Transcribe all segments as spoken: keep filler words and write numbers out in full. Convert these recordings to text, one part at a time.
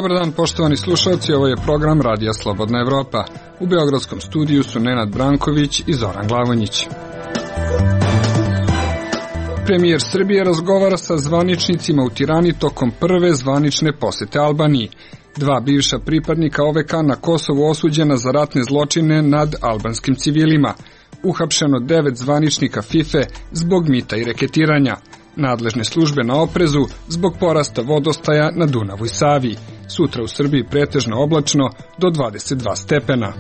Dobar dan, poštovani slušalci, ovo je program Radija Slobodna Evropa. U beogradskom studiju su Nenad Branković i Zoran Glavonjić. Premijer Srbije razgovara sa zvaničnicima u Tirani tokom prve zvanične posete Albaniji. Dva bivša pripadnika O V K na Kosovu osuđena za ratne zločine nad albanskim civilima. Uhapšeno devet zvaničnika FIFA zbog mita i reketiranja. Nadležne službe na oprezu zbog porasta vodostaja na Dunavu i Savi. Sutra u Srbiji pretežno oblačno do dvadeset dva stepena.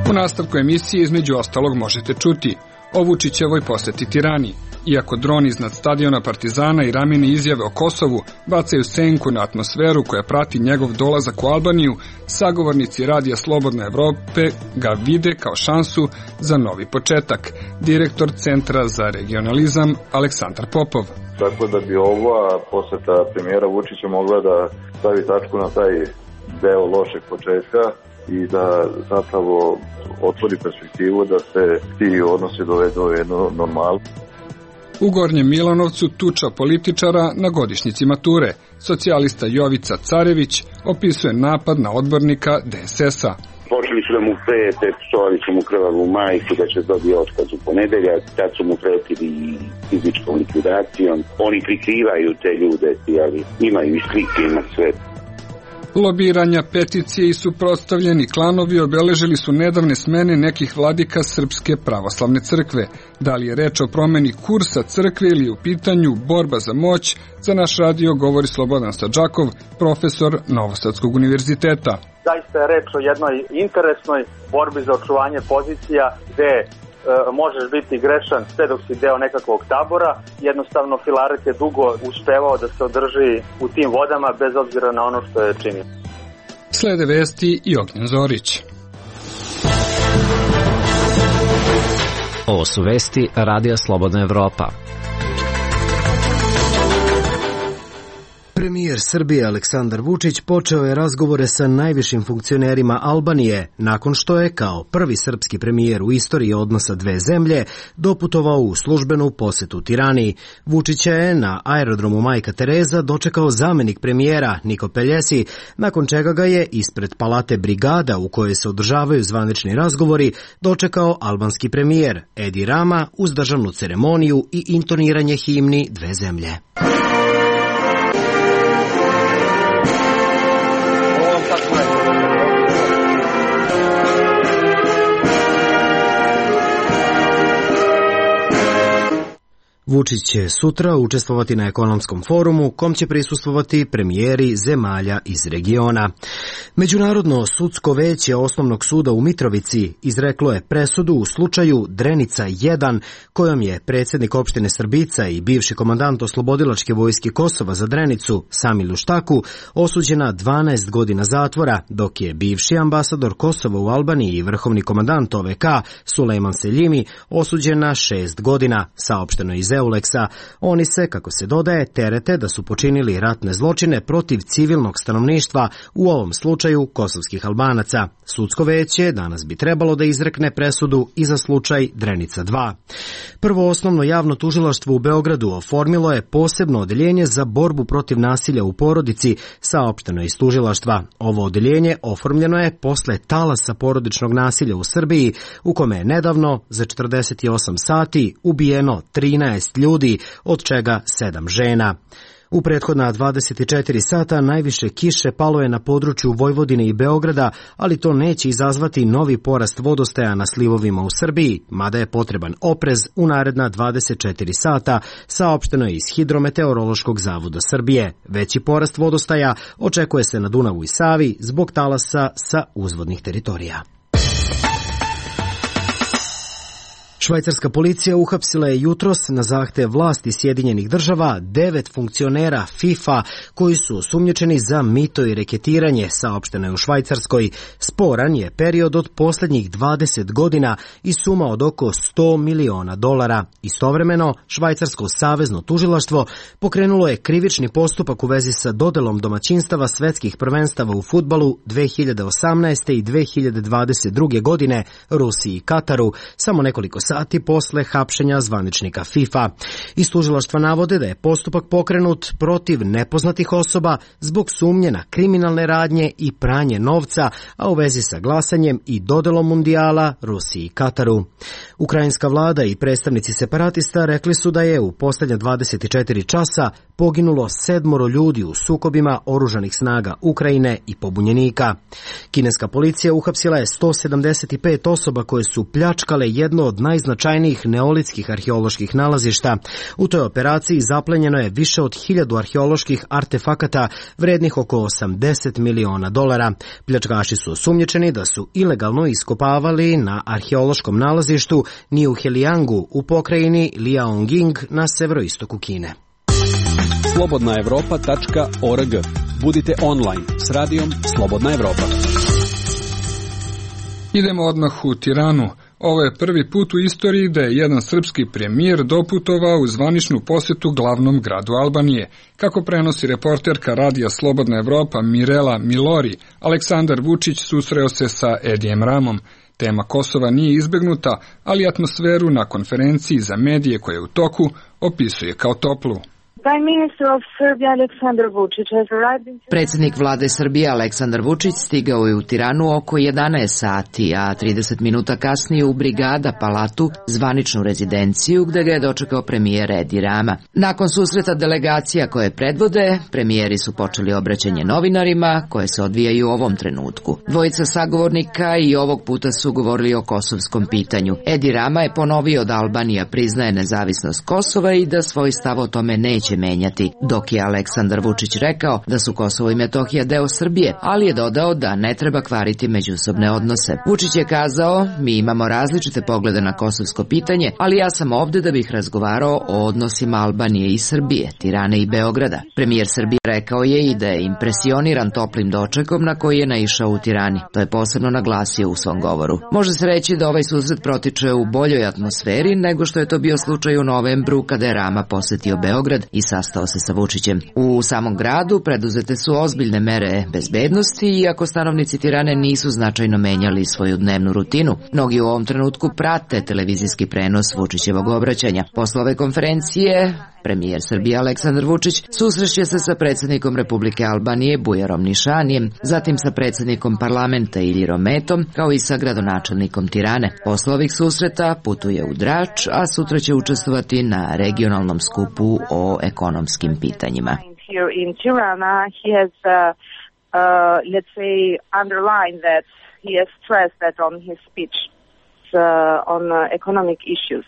U nastavku emisije između ostalog možete čuti o Vučićevoj poseti Tirani. Iako droni iznad stadiona Partizana i ramene izjave o Kosovu bacaju senku na atmosferu koja prati njegov dolazak u Albaniju, sagovornici Radija Slobodne Evrope ga vide kao šansu za novi početak. Direktor Centra za regionalizam Aleksandar Popov. Tako da bi ova poseta premijera Vučića mogla da stavi tačku na taj deo lošeg početka i da zapravo otvori perspektivu da se ti odnosi dovedu u jednu normalnu. U Gornjem Milanovcu tuča političara na godišnjici mature. Socijalista Jovica Carević opisuje napad na odbornika D S S-a. Počeli su da mu prete, psovali su mu krvavu majku da će dobiti otkaz u ponedeljak, tad su mu pretili fizičkom likvidacijom. Oni prikrivaju te ljude, ali imaju i slike, ima sve. Lobiranja, peticije i suprotstavljeni klanovi obeležili su nedavne smene nekih vladika Srpske pravoslavne crkve. Da li je reč o promeni kursa crkve ili u pitanju borba za moć, za naš radio govori Slobodan Sadžakov, profesor Novosadskog univerziteta. Zaista je reč o jednoj interesnoj borbi za očuvanje pozicija gde e, možeš biti grešan sve dok si deo nekakvog tabora. Jednostavno Filaret je dugo uspevao da se održi u tim vodama bez obzira na ono što je činio. Slede vesti i Ognjen Zorić. Ovo su vesti Radija Slobodna Evropa. Premijer Srbije Aleksandar Vučić počeo je razgovore sa najvišim funkcionerima Albanije nakon što je kao prvi srpski premijer u istoriji odnosa dve zemlje doputovao u službenu posetu Tirani. Vučića je na aerodromu Majka Tereza dočekao zamenik premijera Niko Peljesi, nakon čega ga je ispred palate Brigada u kojoj se održavaju zvanični razgovori dočekao albanski premijer Edi Rama uz državnu ceremoniju i intoniranje himni dve zemlje. Vučić će sutra učestvovati na ekonomskom forumu kom će prisustvovati premijeri zemalja iz regiona. Međunarodno sudsko veće Osnovnog suda u Mitrovici izreklo je presudu u slučaju Drenica jedan, kojom je predsjednik opštine Srbica i bivši komandant Oslobodilačke vojske Kosova za Drenicu Samil Uštaku osuđena dvanaest godina zatvora, dok je bivši ambasador Kosova u Albaniji i vrhovni komandant O V K Sulejman Seljimi osuđena šest godina, saopšteno iz Euleksa. Oni se, kako se dodaje, terete da su počinili ratne zločine protiv civilnog stanovništva, u ovom slučaju kosovskih Albanaca. Sudsko veće danas bi trebalo da izrekne presudu i za slučaj Drenica dva. Prvo osnovno javno tužilaštvo u Beogradu oformilo je posebno odeljenje za borbu protiv nasilja u porodici, saopšteno iz tužilaštva. Ovo odeljenje oformljeno je posle talasa porodičnog nasilja u Srbiji, u kome je nedavno za četrdeset osam sati ubijeno trinaest ljudi, od čega sedam žena. U prethodna dvadeset četiri sata najviše kiše palo je na području Vojvodine i Beograda, ali to neće izazvati novi porast vodostaja na slivovima u Srbiji, mada je potreban oprez u naredna dvadeset četiri sata, saopšteno je iz Hidrometeorološkog zavoda Srbije. Veći porast vodostaja očekuje se na Dunavu i Savi zbog talasa sa uzvodnih teritorija. Švajcarska policija uhapsila je jutros na zahtev vlasti Sjedinjenih država devet funkcionera FIFA koji su osumnjičeni za mito i reketiranje, saopšteno je u Švajcarskoj. Sporan je period od posljednjih dvadeset godina i suma od oko sto miliona dolara. Istovremeno, Švajcarsko savezno tužilaštvo pokrenulo je krivični postupak u vezi sa dodelom domaćinstava svetskih prvenstava u fudbalu dve hiljade osamnaeste. i dve hiljade dvadeset druge. godine Rusiji i Kataru, samo nekoliko sati sati posle hapšenja zvaničnika FIFA. Iz tužilaštva navode da je postupak pokrenut protiv nepoznatih osoba zbog sumnje na kriminalne radnje i pranje novca, a u vezi sa glasanjem i dodelom mundijala Rusiji i Kataru. Ukrajinska vlada i predstavnici separatista rekli su da je u poslednja dvadeset četiri časa poginulo sedmoro ljudi u sukobima oružanih snaga Ukrajine i pobunjenika. Kineska policija uhapsila je sto sedamdeset pet osoba koje su pljačkale jedno od najznačajnijih neolitskih arheoloških nalazišta. U toj operaciji zaplenjeno je više od hiljadu arheoloških artefakata vrednih oko osamdeset miliona dolara. Pljačkaši su osumnjičeni da su ilegalno iskopavali na arheološkom nalazištu Niuheliangu u pokrajini Liaoning na severoistoku Kine. slobodna evropa tačka org. Budite online s radijom Slobodna Evropa. Idemo odmah u Tiranu. Ovo je prvi put u istoriji da je jedan srpski premijer doputovao u zvaničnu posetu glavnom gradu Albanije. Kako prenosi reporterka radija Slobodna Evropa Mirela Milori, Aleksandar Vučić susreo se sa Edijem Ramom. Tema Kosova nije izbegnuta, ali atmosferu na konferenciji za medije koja je u toku opisuje kao toplu. Predsjednik vlade Srbije Aleksandar Vučić stigao je u Tiranu oko jedanaest sati, a trideset minuta kasnije u Brigada Palatu, zvaničnu rezidenciju, gde ga je dočekao premijer Edi Rama. Nakon susreta delegacija koje predvode, premijeri su počeli obraćanje novinarima, koje se odvijaju u ovom trenutku. Dvojica sagovornika i ovog puta su govorili o kosovskom pitanju. Edi Rama je ponovio da Albanija priznaje nezavisnost Kosova i da svoj stav o tome neće menjati, dok je Aleksandar Vučić rekao da su Kosovo i Metohija deo Srbije, ali je dodao da ne treba kvariti međusobne odnose. Vučić je kazao, mi imamo različite poglede na kosovsko pitanje, ali ja sam ovde da bih razgovarao o odnosima Albanije i Srbije, Tirane i Beograda. Premijer Srbije rekao je i da je impresioniran toplim dočekom na koji je naišao u Tirani. To je posebno naglasio u svom govoru. Može se reći da ovaj susret protiče u boljoj atmosferi nego što je to bio slučaj u novembru kada je Rama posetio Beograd i sastao se sa Vučićem. U samom gradu preduzete su ozbiljne mere bezbednosti, iako stanovnici Tirane nisu značajno menjali svoju dnevnu rutinu. Mnogi u ovom trenutku prate televizijski prenos Vučićevog obraćanja. Posle ove konferencije, premijer Srbije Aleksandar Vučić susreće se sa predsjednikom Republike Albanije Bujarom Nišanijem, zatim sa predsjednikom parlamenta Iljirom Metom, kao i sa gradonačelnikom Tirane. Posle ovih susreta putuje u Drač, a sutra će učestvovati na regionalnom skupu o ekonomskim pitanjima. In Tirana, he has, uh, uh, let's say, underlined that he has stressed that on his speech uh, on uh, economic issues.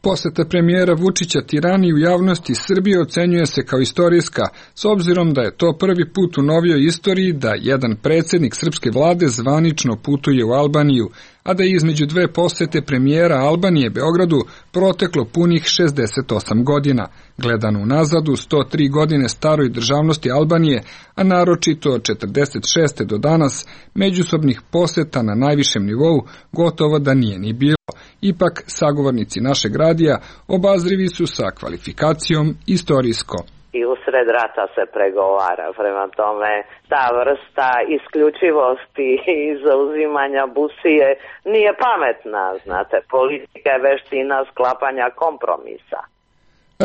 Poseta premijera Vučića Tirani u javnosti Srbije ocenjuje se kao istorijska, s obzirom da je to prvi put u novijoj istoriji da jedan predsjednik srpske vlade zvanično putuje u Albaniju, a da je između dve posete premijera Albanije Beogradu proteklo punih šezdeset osam godina. Gledano unazad u sto tri godine staroj državnosti Albanije, a naročito od četrdeset šeste do danas, međusobnih poseta na najvišem nivou gotovo da nije ni bilo. Ipak, sagovornici našeg radija obazrivi su sa kvalifikacijom istorijsko. I usred rata se pregovara, prema tome ta vrsta isključivosti i zauzimanja busije nije pametna, znate, politika je veština sklapanja kompromisa.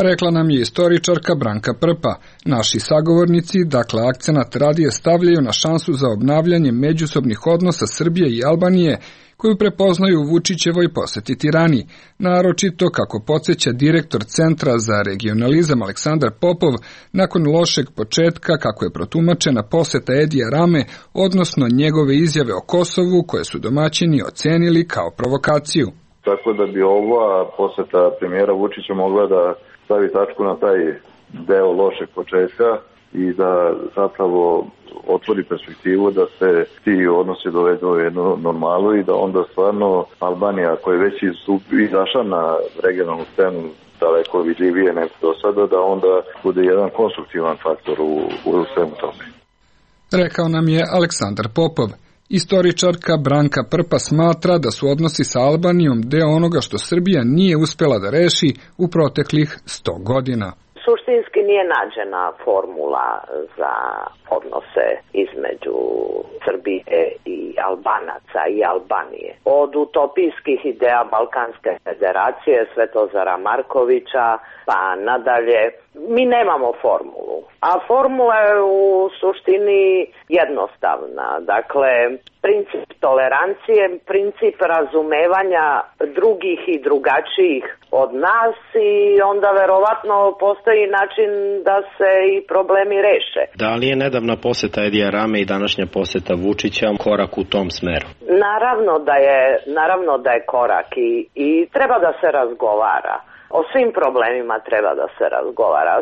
Rekla nam je istoričarka Branka Prpa. Naši sagovornici, dakle akcenat radije stavljaju na šansu za obnavljanje međusobnih odnosa Srbije i Albanije, koju prepoznaju u Vučićevoj poseti Tirani, naročito kako podsjeća direktor Centra za regionalizam Aleksandar Popov, nakon lošeg početka kako je protumačena poseta Edija Rame, odnosno njegove izjave o Kosovu koje su domaćini ocenili kao provokaciju. Tako da bi ova poseta premijera Vučića mogla da stavi tačku na taj deo lošeg početka i da zapravo otvori perspektivu da se ti odnosi dovedu u jednu normalu i da onda stvarno Albanija, koja je već izašla na regionalnu scenu daleko vidljivije nego do sada, da onda bude jedan konstruktivan faktor u, u svemu tome. Rekao nam je Aleksandar Popov. Istoričarka Branka Prpa smatra da su odnosi sa Albanijom deo onoga što Srbija nije uspela da reši u proteklih sto godina. suštinski nije nađena formula za odnose između Srbije i Albanaca i Albanije. Od utopijskih ideja Balkanske federacije, Svetozara Markovića, pa nadalje, mi nemamo formulu. A formula je u suštini jednostavna. Dakle, princip tolerancije, princip razumevanja drugih i drugačijih od nas i onda verovatno postoji način da se i problemi reše. Da li je nedavna poseta Edija Rame i današnja poseta Vučića korak u tom smeru? Naravno da je, naravno da je korak i, i treba da se razgovara. O svim problemima treba da se razgovara.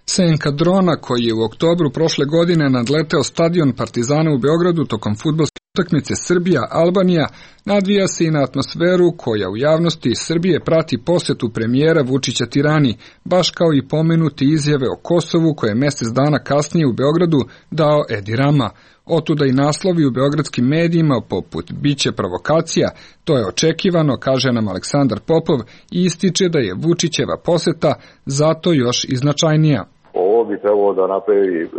Senka drona koji je u oktobru prošle godine nadleteo stadion Partizana u Beogradu tokom fudbalske utakmice Srbija-Albanija nadvija se i na atmosferu koja u javnosti Srbije prati posetu premijera Vučića Tirani, baš kao i pomenuti izjave o Kosovu koje je mesec dana kasnije u Beogradu dao Edi Rama. Otuda i naslovi u beogradskim medijima poput biće provokacija, to je očekivano, kaže nam Aleksandar Popov i ističe da je Vučićeva poseta zato još i značajnija. Ovo bi trebalo da napravi,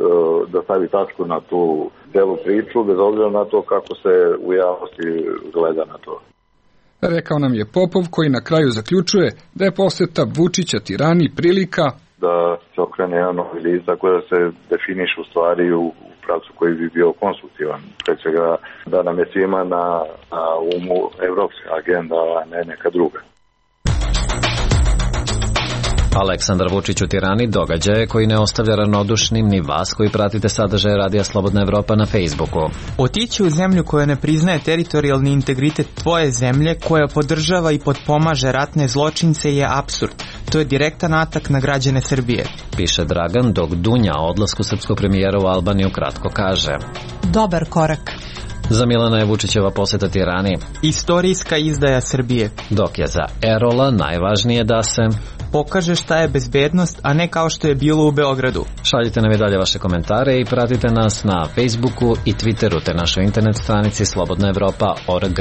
da stavi tačku na tu celu priču, bez obzira na to kako se u javnosti gleda na to. Rekao nam je Popov koji na kraju zaključuje da je poseta Vučića Tirani prilika da se okrene jedan novi list, tako da se definiš u stvari u pravcu koji bi bio konstruktivan. Pre svega da nam je svima na, na umu evropska agenda, a ne neka druga. Aleksandar Vučić u Tirani događaje koji ne ostavlja ravnodušnim ni vas koji pratite sadržaje Radija Slobodna Evropa na Facebooku. Otići u zemlju koja ne priznaje teritorijalni integritet tvoje zemlje, koja podržava i potpomaže ratne zločince je apsurd. To je direktan atak na građane Srbije. Piše Dragan, dok Dunja o odlasku srpskog premijera u Albaniju kratko kaže: dobar korak. Za Milana je Vučićeva poseta Tirani istorijska izdaja Srbije. Dok je za Erola najvažnije da se pokaže šta je bezbednost, a ne kao što je bilo u Beogradu. Šaljite nam i dalje vaše komentare i pratite nas na Facebooku i Twitteru te našoj internet stranici slobodna evropa tačka org.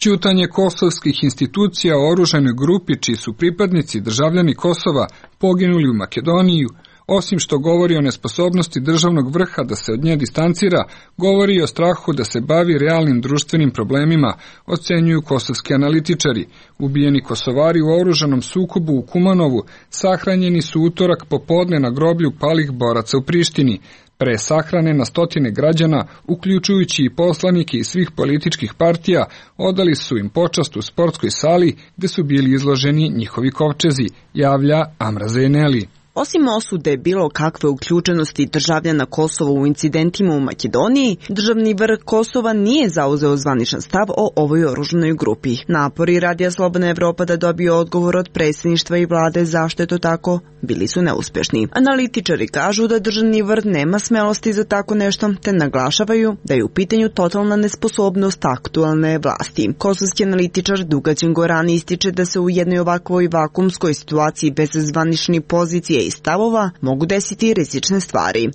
Ćutanje kosovskih institucija o oružanoj grupi čiji su pripadnici državljani Kosova poginuli u Makedoniji, osim što govori o nesposobnosti državnog vrha da se od nje distancira, govori i o strahu da se bavi realnim društvenim problemima, ocenjuju kosovski analitičari. Ubijeni Kosovari u oružanom sukobu u Kumanovu sahranjeni su utorak popodne na groblju palih boraca u Prištini. Pre sahrane na stotine građana, uključujući i poslanike iz svih političkih partija, odali su im počast u sportskoj sali gde su bili izloženi njihovi kovčezi, javlja Amra Zeneli. Osim osude bilo kakve uključenosti državljana Kosova u incidentima u Makedoniji, državni vrh Kosova nije zauzeo zvaničan stav o ovoj oružanoj grupi. Napori Radija Slobodna Evropa da dobije odgovor od predsjedništva i vlade zašto je to tako, bili su neuspešni. Analitičari kažu da državni vrh nema smelosti za tako nešto, te naglašavaju da je u pitanju totalna nesposobnost aktualne vlasti. Kosovski analitičar Dugađen Gorani ističe da se u jednoj ovakvoj vakumskoj situaciji bez zvaničnih pozicije i stavova mogu desiti rizične stvari.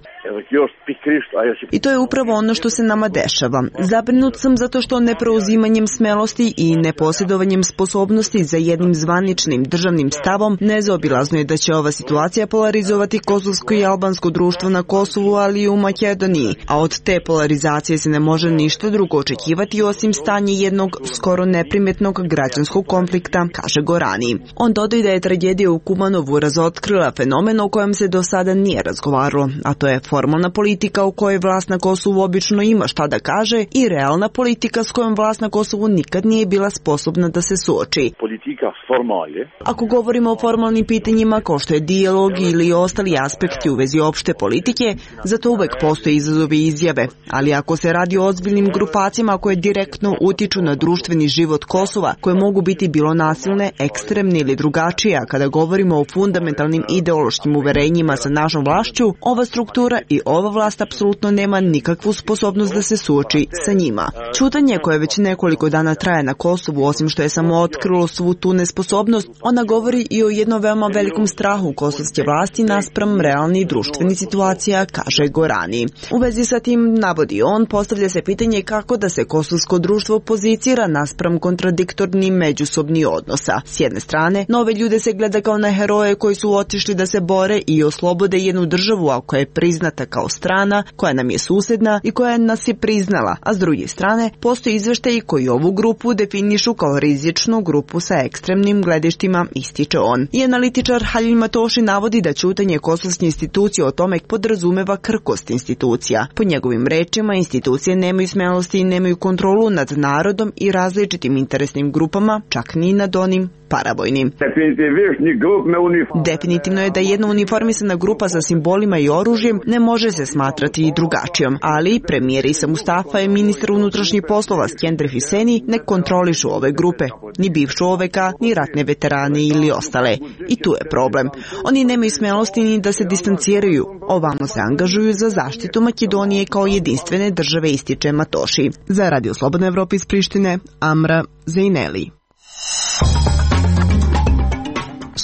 I to je upravo ono što se nama dešava. Zabrinut sam zato što nepreuzimanjem smelosti i neposjedovanjem sposobnosti za jednim zvaničnim državnim stavom nezaobilazno je da će ova situacija polarizovati kosovsko i albansko društvo na Kosovu, ali i u Makedoniji, a od te polarizacije se ne može ništa drugo očekivati osim stanje jednog skoro neprimetnog građanskog konflikta, kaže Gorani. On dodaje da je tragedija u Kumanovu razotkrila fenomen o kojem se do sada nije razgovaralo, a to je formalna politika u kojoj vlast na Kosovu obično ima šta da kaže i realna politika s kojom vlast na Kosovu nikad nije bila sposobna da se suoči. Politika formalje. Ako govorimo o formalnim pitanjima kao što je dijalog ili ostali aspekti u vezi opšte politike, zato uvek postoje izazovi i izjave, ali ako se radi o ozbiljnim grupacijama koje direktno utiču na društveni život Kosova, koje mogu biti bilo nasilne, ekstremne ili drugačije, a kada govorimo o fundamentalnim ideološkim uverenjima sa našom vlašću, ova struktura i i ova vlast apsolutno nema nikakvu sposobnost da se suoči sa njima. Ćutanje koje već nekoliko dana traje na Kosovu, osim što je samo otkrilo svu tu nesposobnost, ona govori i o jednom veoma velikom strahu kosovske vlasti naspram realnih društvenih situacija, kaže Gorani. U vezi sa tim, navodi on, postavlja se pitanje kako da se kosovsko društvo pozicira naspram kontradiktornih međusobnih odnosa. S jedne strane, nove ljude se gleda kao na heroje koji su otišli da se bore i oslobode jednu državu, a koja je priznata kao strana, koja nam je susedna i koja nas je priznala, a s druge strane, postoji izveštaji koji ovu grupu definišu kao rizičnu grupu sa ekstremnim gledištima, ističe on. I analitičar Halil Matoši navodi da ćutanje kosovske institucije o tome podrazumeva krhkost institucija. Po njegovim rečima, institucije nemaju smelosti i nemaju kontrolu nad narodom i različitim interesnim grupama, čak ni nad onim paravojnim. Definitivno je da jedna uniformisana grupa sa simbolima i oružjem ne može se smatrati i drugačijom, ali premijer Isa Mustafa i ministar unutrašnjih poslova Skender Hüseni ne kontrolišu ove grupe, ni bivšu O V K, ni ratne veterane ili ostale. I tu je problem. Oni nemaju smelosti ni da se distanciraju, ovamo se angažuju za zaštitu Makedonije kao jedinstvene države, ističe Matoši. Za Radio Slobodna Evropa iz Prištine, Amra Zejneli.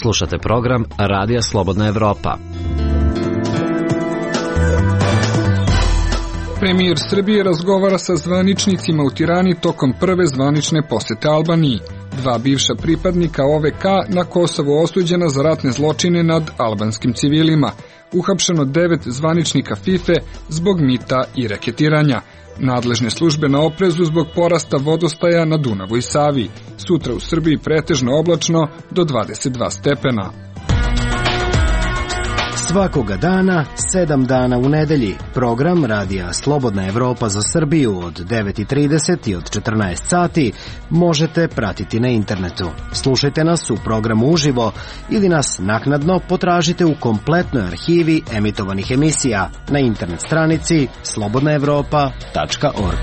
Slušate program Radija Slobodna Evropa. Premijer Srbije razgovara sa zvaničnicima u Tirani tokom prve zvanične posete Albaniji. Dva bivša pripadnika O V K na Kosovu osuđena za ratne zločine nad albanskim civilima. Uhapšeno devet zvaničnika FIFA zbog mita i reketiranja. Nadležne službe na oprezu zbog porasta vodostaja na Dunavu i Savi. Sutra u Srbiji pretežno oblačno do dvadeset dva stepena. Svakoga dana, sedam dana u nedelji, program Radija Slobodna Evropa za Srbiju od devet i trideset i od četrnaest sati možete pratiti na internetu. Slušajte nas u programu uživo ili nas naknadno potražite u kompletnoj arhivi emitovanih emisija na internet stranici slobodna evropa tačka org.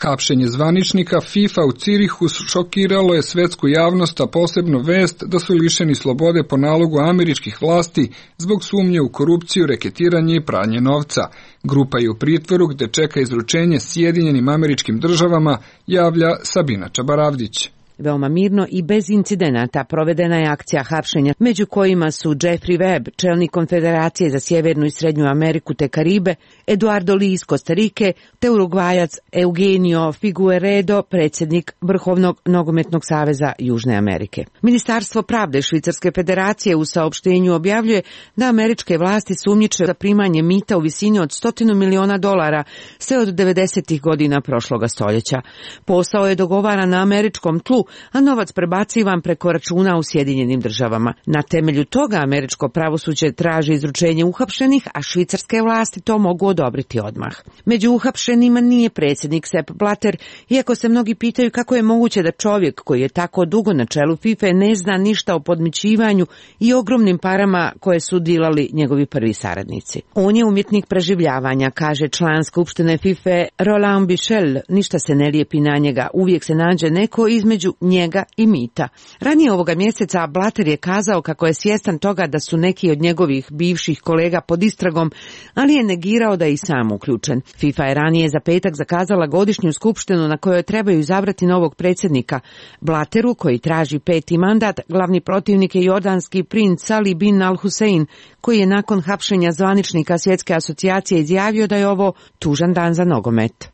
Hapšenje zvaničnika FIFA u Cirihu šokiralo je svetsku javnost, a posebno vest da su lišeni slobode po nalogu američkih vlasti zbog sumnje u korupciju, reketiranje i pranje novca. Grupa je u pritvoru gde čeka izručenje Sjedinjenim Američkim Državama, javlja Sabina Čabaravdić. Veoma mirno i bez incidenata provedena je akcija hapšenja, među kojima su Jeffrey Webb, čelnik Konfederacije za Sjevernu i Srednju Ameriku te Karibe, Eduardo Li iz Kostarike, te Urugvajac Eugenio Figueredo, predsjednik Vrhovnog nogometnog saveza Južne Amerike. Ministarstvo pravde Švicarske federacije u saopštenju objavljuje da američke vlasti sumnjiče za primanje mita u visini od stotinu miliona dolara sve od devedesetih godina prošloga stoljeća. Posao je dogovaran na američkom tlu, a novac prebacivan preko računa u Sjedinjenim Državama. Na temelju toga američko pravosuđe traži izručenje uhapšenih, a švicarske vlasti to mogu odobriti odmah. Među uhapšenima nije predsjednik Sepp Blatter, iako se mnogi pitaju kako je moguće da čovjek koji je tako dugo na čelu FIFA ne zna ništa o podmićivanju i ogromnim parama koje su dilali njegovi prvi saradnici. On je umjetnik preživljavanja, kaže član Skupštine FIFA Roland Michel, ništa se ne lijepi na njega, uvijek se nađe neko između njega i mita. Ranije ovoga mjeseca Blatter je kazao kako je svjestan toga da su neki od njegovih bivših kolega pod istragom, ali je negirao da je i sam uključen. FIFA je ranije za petak zakazala godišnju skupštinu na kojoj trebaju izabrati novog predsjednika. Blatteru, koji traži peti mandat, glavni protivnik je jordanski princ Salih bin al-Hussein, koji je nakon hapšenja zvaničnika Svjetske asocijacije izjavio da je ovo tužan dan za nogomet.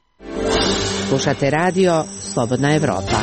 Slušate radio Slobodna Evropa.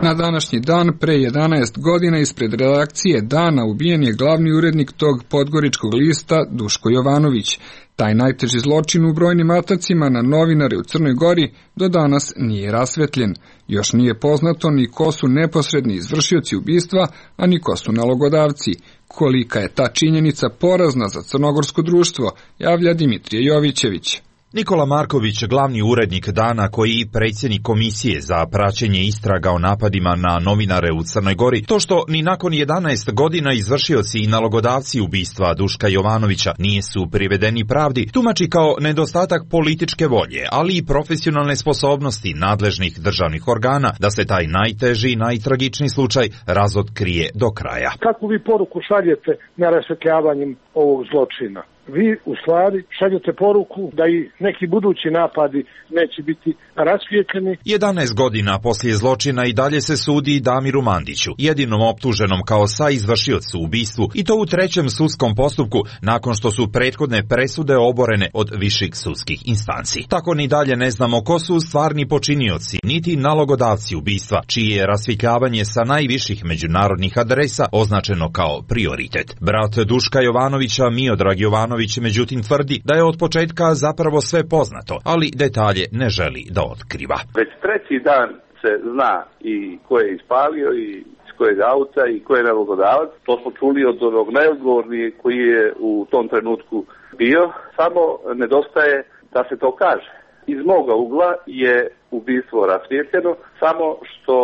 Na današnji dan, pre jedanaest godina, ispred redakcije Dana ubijen je glavni urednik tog podgoričkog lista Duško Jovanović. Taj najteži zločin u brojnim atacima na novinare u Crnoj Gori do danas nije rasvetljen. Još nije poznato ni ko su neposredni izvršioci ubistva, a ni ko su nalogodavci. Kolika je ta činjenica porazna za crnogorsko društvo, javlja Dimitrije Jovićević. Nikola Marković, glavni urednik Dana koji i predsjednik Komisije za praćenje istraga o napadima na novinare u Crnoj Gori, to što ni nakon jedanaest godina izvršioci i nalogodavci ubistva Duška Jovanovića nisu privedeni pravdi, tumači kao nedostatak političke volje, ali i profesionalne sposobnosti nadležnih državnih organa da se taj najteži i najtragičniji slučaj razotkrije do kraja. Kakvu vi poruku šaljete na rasvetljavanjem ovog zločina? Vi u stvari šaljete poruku da i neki budući napadi neće biti rasvijetljeni. jedanaest godina poslije zločina i dalje se sudi Damiru Mandiću, jedinom optuženom kao saizvršiocu u ubistvu, i to u trećem sudskom postupku nakon što su prethodne presude oborene od viših sudskih instanci. Tako ni dalje ne znamo ko su stvarni počinioci, niti nalogodavci ubistva, čije je rasvjetljavanje sa najviših međunarodnih adresa označeno kao prioritet. Brat Duška Jovanovića, Miodrag Jovanović, međutim tvrdi da je od početka zapravo sve poznato, ali detalje ne želi da otkriva. Već treći dan se zna i ko je ispalio i iz kojeg auta i ko je nalogodavac. To smo čuli od onog najodgovorniji koji je u tom trenutku bio. Samo nedostaje da se to kaže. Iz moga ugla je ubistvo rasvijetljeno, samo što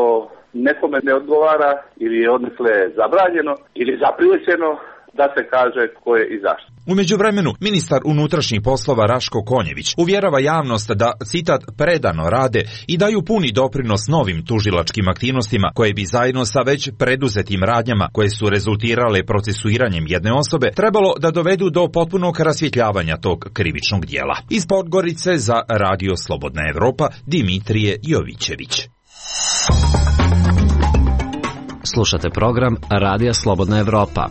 nekome ne odgovara ili je odnesle zabranjeno ili zaprijećeno da se kaže ko je i zašto. U međuvremenu, ministar unutrašnjih poslova Raško Konjević uvjerava javnost da, citat, predano rade i daju puni doprinos novim tužilačkim aktivnostima koje bi zajedno sa već preduzetim radnjama koje su rezultirale procesuiranjem jedne osobe trebalo da dovedu do potpunog rasvjetljavanja tog krivičnog dijela. Iz Podgorice za Radio Slobodna Evropa, Dimitrije Jovićević. Slušate program Radija Slobodna Evropa.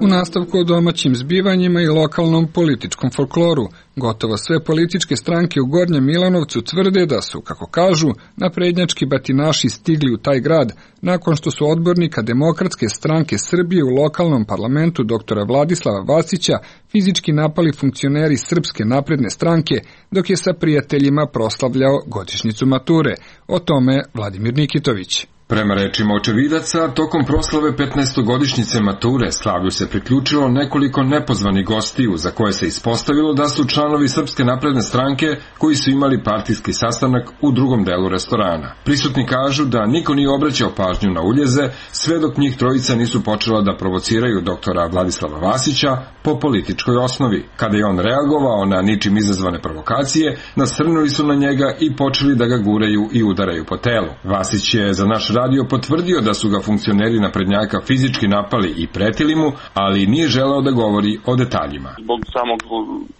U nastavku o domaćim zbivanjima i lokalnom političkom folkloru, gotovo sve političke stranke u Gornjem Milanovcu tvrde da su, kako kažu, naprednjački batinaši stigli u taj grad nakon što su odbornika Demokratske stranke Srbije u lokalnom parlamentu doktora Vladislava Vasića fizički napali funkcioneri Srpske napredne stranke dok je sa prijateljima proslavljao godišnjicu mature. O tome Vladimir Nikitović. Prema rečima očevidaca, tokom proslave petnaestogodišnjice mature slavlju se priključilo nekoliko nepozvanih gostiju za koje se ispostavilo da su članovi Srpske napredne stranke koji su imali partijski sastanak u drugom delu restorana. Prisutni kažu da niko nije obraćao pažnju na uljeze sve dok njih trojica nisu počela da provociraju doktora Vladislava Vasića po političkoj osnovi. Kada je on reagovao na ničim izazvane provokacije, nasrnuli su na njega i počeli da ga guraju i udaraju po telu. Vasić je za naš radio potvrdio da su ga funkcioneri naprednjaka fizički napali i pretili mu, ali nije želeo da govori o detaljima. Zbog samog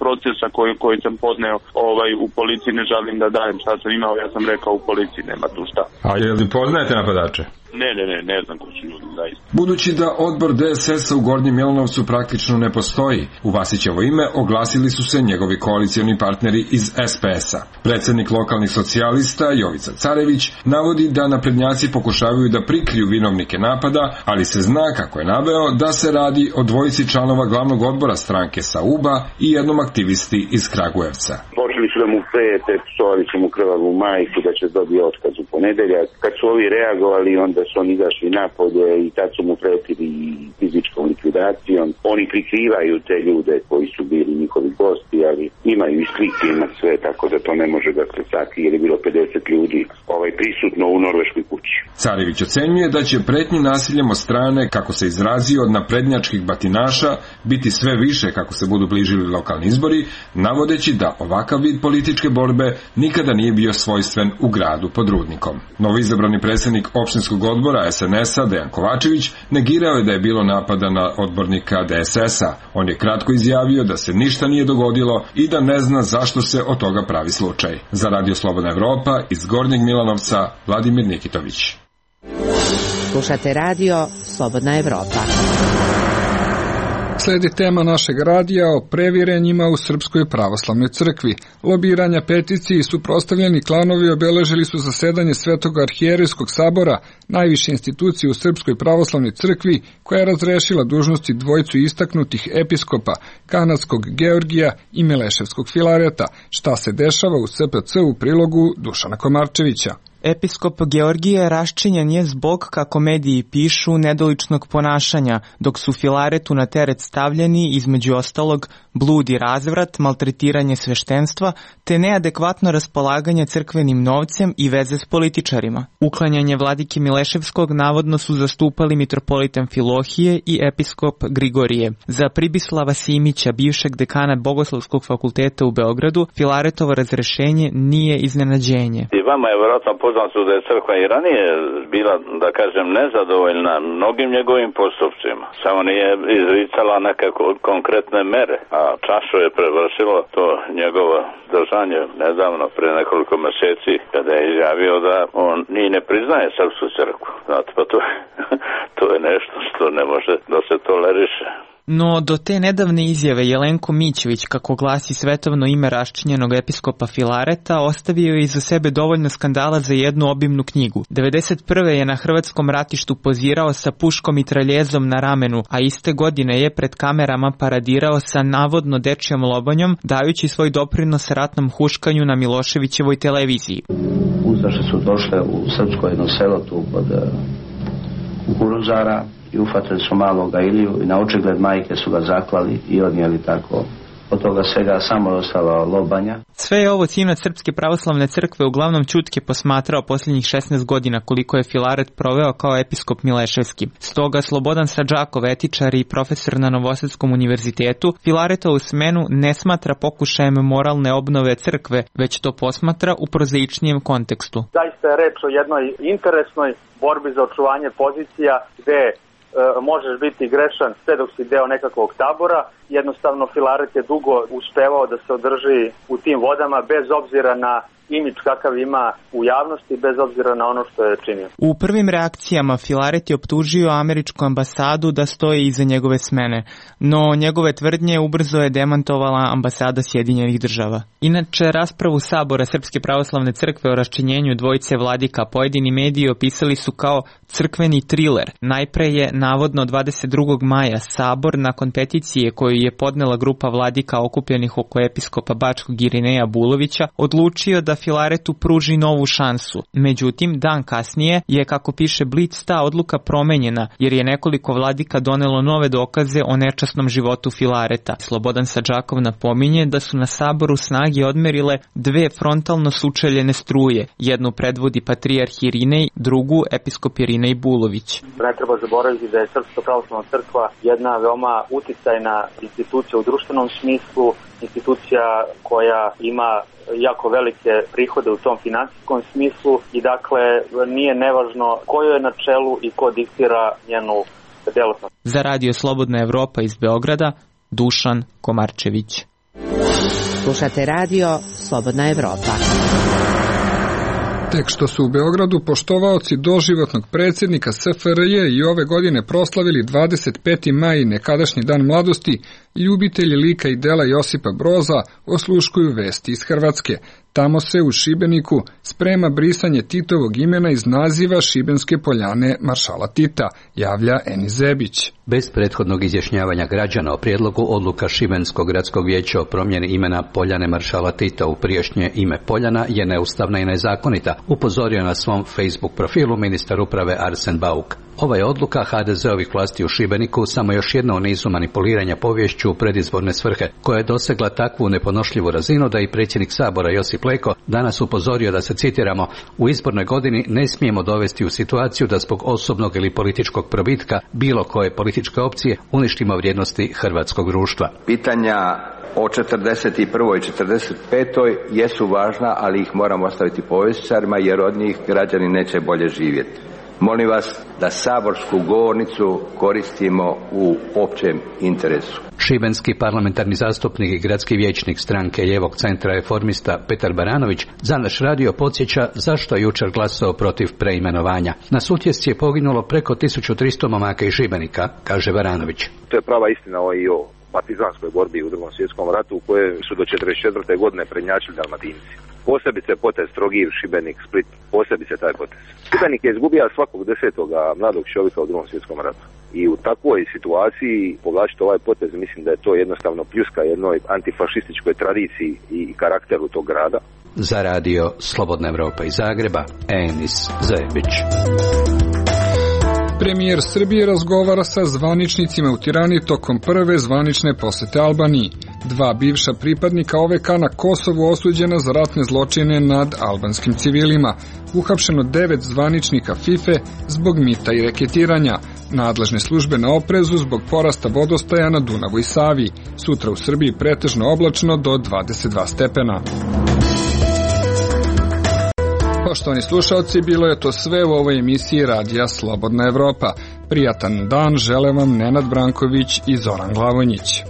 procesa koji, koji sam podneo ovaj, u policiji ne želim da dajem šta sam imao, ja sam rekao u policiji nema tu šta. A je li poznajete napadače? Ne, ne, ne, ne znam ko su ljudi, zaista. Budući da odbor D S S-a u Gornjem Milanovcu praktično ne postoji, u Vasićevo ime oglasili su se njegovi koalicioni partneri iz S P S-a. Predsjednik lokalnih socijalista Jovica Carević navodi da naprednjaci pokušavaju da prikriju vinovnike napada, ali se zna, kako je naveo, da se radi o dvojici članova glavnog odbora stranke sa Uba i jednom aktivisti iz Kragujevca. Počeli su da mu prete, psovali su mu krvavu majku da će dobiti otkaz u ponedeljak. Kad su ovi reagovali, onda su oni izašli napolje i tad su mu pretili fizičkom likvidacijom. Oni prikrivaju te ljude koji su bili njihovi gosti, ali imaju i slike, ima sve, tako da to ne može da se sakrije, jer je bilo pedeset ljudi ovaj, prisutno u norveškoj kući. Carević ocenjuje da će pretnji nasiljem od strane, kako se izrazio, od naprednjačkih batinaša biti sve više kako se budu bližili lokalni izbori, navodeći da ovakav vid političke borbe nikada nije bio svojstven u gradu pod Rudnikom. Novoizabrani predsjednik opštinskog odbora S N S-a Dejan Kovačević negirao je da je bilo napada na odbornika D S S-a. On je kratko izjavio da se ništa nije dogodilo i da ne zna zašto se od toga pravi slučaj. Za Radio Slobodna Evropa iz Gornjeg Milanovca, Vladimir Nikitović. Slušate Radio Slobodna Evropa. Sledi tema našeg radija o previrenjima u Srpskoj pravoslavnoj crkvi. Lobiranja, peticije i suprotstavljeni klanovi obeležili su zasedanje Svetog arhijerejskog sabora, najviše institucije u Srpskoj pravoslavnoj crkvi, koja je razrešila dužnosti dvojicu istaknutih episkopa, kanadskog Georgija i Mileševskog Filareta. Šta se dešava u S P C u prilogu Dušana Komarčevića? Episkop Georgije raščinjen je zbog, kako mediji pišu, nedoličnog ponašanja, dok su Filaretu na teret stavljeni, između ostalog, blud i razvrat, maltretiranje sveštenstva, te neadekvatno raspolaganje crkvenim novcem i veze s političarima. Uklanjanje vladike Mileševskog navodno su zastupali mitropolit Amfilohije i episkop Grigorije. Za Pribislava Simića, bivšeg dekana Bogoslovskog fakulteta u Beogradu, Filaretovo razrešenje nije iznenađenje. I vama je vjerojatno poznato da je crkva i ranije bila, da kažem, nezadovoljna mnogim njegovim postupcima. Samo nije izricala nekako konkretne mere, a čašu je prevršilo to njegovo držanje nedavno, pre nekoliko meseci, kada je izjavio da on ni ne priznaje srpsku crkvu. Znate, pa to, to je nešto što ne može da se toleriše. No, do te nedavne izjave Jelenko Mićević, kako glasi svetovno ime raščinjenog episkopa Filareta, ostavio je iza sebe dovoljno skandala za jednu obimnu knjigu. devedeset prve je na hrvatskom ratištu pozirao sa puškom i traljezom na ramenu, a iste godine je pred kamerama paradirao sa navodno dečjom lobanjom, dajući svoj doprinos ratnom huškanju na Miloševićevoj televiziji. Ustaše su došle u srpsko jedno selo tu kod Kukuruzara i ufatili su maloga Iliju i na očigled majke su ga zaklali i odnijeli tako. Od toga svega samo je ostalo lobanja. Sve je ovo sinac Srpske pravoslavne crkve uglavnom ćutke posmatrao posljednjih šesnaest godina koliko je Filaret proveo kao episkop Mileševski. Stoga Slobodan Sadžakov, etičar i profesor na Novosadskom univerzitetu, Filaretovu smenu ne smatra pokušajem moralne obnove crkve, već to posmatra u prozaičnijem kontekstu. Zaista je reč o jednoj interesnoj borbi za očuvanje pozicija gde možeš biti grešan sve dok si deo nekakvog tabora. Jednostavno Filaret je dugo uspevao da se održi u tim vodama bez obzira na imidž kakav ima u javnosti, bez obzira na ono što je činio. U prvim reakcijama Filaret je optužio američku ambasadu da stoji iza njegove smene, no njegove tvrdnje ubrzo je demantovala ambasada Sjedinjenih država. Inače, raspravu Sabora Srpske pravoslavne crkve o raščinjenju dvojice vladika pojedini mediji opisali su kao crkveni triler. Najpre je, navodno dvadeset drugog maja, Sabor, nakon peticije koju je podnela grupa vladika okupljenih oko episkopa Bačkog Irineja Bulovića, odlučio da Filaretu pruži novu šansu. Međutim, dan kasnije je, kako piše Blic, ta odluka promenjena, jer je nekoliko vladika donelo nove dokaze o nečasnom životu Filareta. Slobodan Sadžakov napominje da su na Saboru snage odmerile dve frontalno sučeljene struje. Jednu predvodi patrijarh Irinej, drugu episkop Irinej Bulović. Ne treba zaboraviti da je Srpska pravoslavna crkva jedna veoma uticajna institucija u društvenom smislu, institucija koja ima jako velike prihode u tom finansijskom smislu i dakle nije nevažno ko je na čelu i ko diktira njenu delatnost. Za Radio Slobodna Evropa iz Beograda, Dušan Komarčević. Slušate Radio Slobodna Evropa. Tek što su u Beogradu poštovaoci doživotnog predsjednika S F R J i ove godine proslavili dvadeset peti maj, nekadašnji dan mladosti, ljubitelji lika i dela Josipa Broza osluškuju vesti iz Hrvatske. Tamo se u Šibeniku sprema brisanje Titovog imena iz naziva Šibenske poljane maršala Tita, javlja Eni Zebić. Bez prethodnog izjašnjavanja građana o prijedlogu odluka Šibenskog gradskog vijeća o promjeni imena Poljane maršala Tita u prijašnje ime Poljana je neustavna i nezakonita, upozorio na svom Facebook profilu ministar uprave Arsen Bauk. Ova je odluka ha de zeovih vlasti u Šibeniku samo još jedna u nizu manipuliranja poviješću u predizborne svrhe, koja je dosegla takvu neponošljivu razinu da i predsjednik Sabora Josip Leko danas upozorio da se, citiramo, u izbornoj godini ne smijemo dovesti u situaciju da zbog osobnog ili političkog probitka bilo koje političke opcije uništimo vrijednosti hrvatskog društva. Pitanja o četrdeset prvoj i četrdeset petoj jesu važna, ali ih moramo ostaviti povjesničarima jer od njih građani neće bolje živjeti. Molim vas da saborsku govornicu koristimo u općem interesu. Šibenski parlamentarni zastupnik i gradski vijećnik stranke Lijevog centra reformista Petar Baranović za naš radio podsjeća zašto je jučer glasao protiv preimenovanja. Na Sutjesci je poginulo preko tisuću tristo momaka iz Šibenika, kaže Baranović. To je prava istina o i o partizanskoj borbi u Drugom svjetskom ratu u kojoj su do četrdeset četvrte godine prednjačili Dalmatinci. Posebice potez Trogir, Šibenik, Split, posebice taj potez. Šibenik je izgubio svakog desetog mladog čovjeka u Drugom svjetskom ratu. I u takvoj situaciji povlačiti ovaj potez, mislim da je to jednostavno pljuska jednoj antifašističkoj tradiciji i karakteru tog grada. Za radio Slobodna Evropa iz Zagreba, Enis Zajebić. Premijer Srbije razgovara sa zvaničnicima u Tirani tokom prve zvanične posete Albaniji. Dva bivša pripadnika O V K na Kosovu osuđena za ratne zločine nad albanskim civilima. Uhapšeno devet zvaničnika FIFA zbog mita i reketiranja. Nadležne službe na oprezu zbog porasta vodostaja na Dunavu i Savi. Sutra u Srbiji pretežno oblačno do dvadeset dva stepena. Poštovani slušalci, bilo je to sve u ovoj emisiji Radija Slobodna Evropa. Prijatan dan žele vam Nenad Branković i Zoran Glavonjić.